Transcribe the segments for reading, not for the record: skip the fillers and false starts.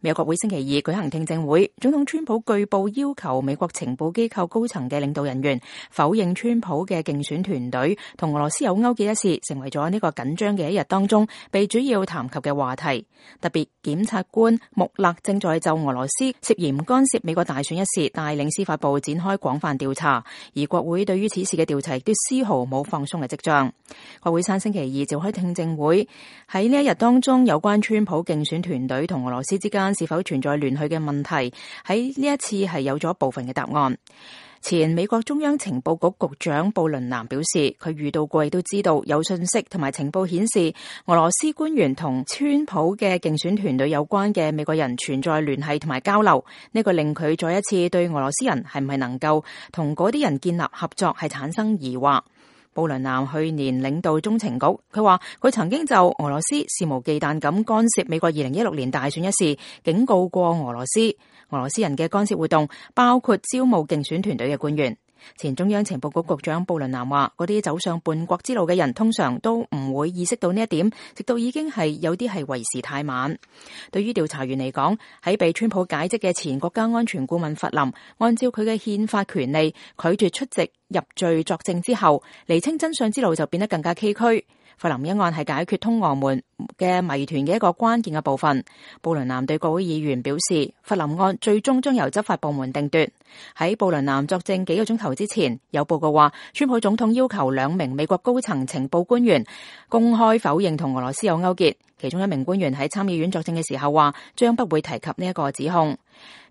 美國國會星期二舉行聽證會，總統川普據報要求美國情報機構高層嘅領導人員否認川普嘅競選團隊同俄羅斯有勾結一事，成為咗呢個緊張嘅一日當中被主要談及嘅話題。特別檢察官穆勒正在就俄羅斯涉嫌干涉美國大選一事帶領司法部展開廣泛調查，而國會對於此事嘅調查亦都絲毫冇放鬆嘅跡象。國會山星期二召開聽證會，喺呢一日當中，有關川普競選團隊同俄羅斯之間是否存在聯繫嘅問題，喺呢一次係有咗部分嘅答案。前美國中央情報局局長布倫南表示，佢遇到過亦都知道有信息同埋情報顯示俄羅斯官員同川普嘅競選團隊有關嘅美國人存在聯繫同埋交流，呢個令佢再一次對俄羅斯人係唔係能夠同嗰啲人建立合作係產生疑惑。布倫南去年領導中情局，佢話佢曾經就俄羅斯肆無忌憚咁干涉美國2016年大選一事警告過俄羅斯。俄羅斯人嘅干涉活動包括招募競選團隊嘅官員。前中央情報局局長布倫南話，嗰啲走上叛國之路嘅人通常都唔會意識到呢一點，直到已經係有啲係為時太晚。對於調查員嚟講，喺被川普解職嘅前國家安全顧問弗林，按照佢嘅憲法權利拒絕出席入罪作證之後，釐清真相之路就變得更加崎嶇。弗林一案係解決通俄門嘅謎團嘅一個關鍵嘅部分。布倫南對國會議員表示，弗林案最終將由執法部門定奪。喺布倫南作證幾個鐘頭之前，有報告話，川普總統要求2名美國高層情報官員公開否認同俄羅斯有勾結。其中一名官員喺參議院作證嘅時候話，將不會提及呢一個指控。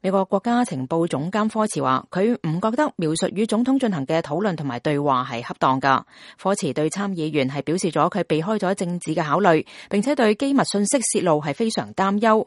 美國國家情報總監科茨話，佢唔覺得描述與總統進行嘅討論同埋對話係恰當㗎。科茨對參議員係表示咗佢避開咗政治嘅考慮，並且對機密信息泄露係非常擔憂。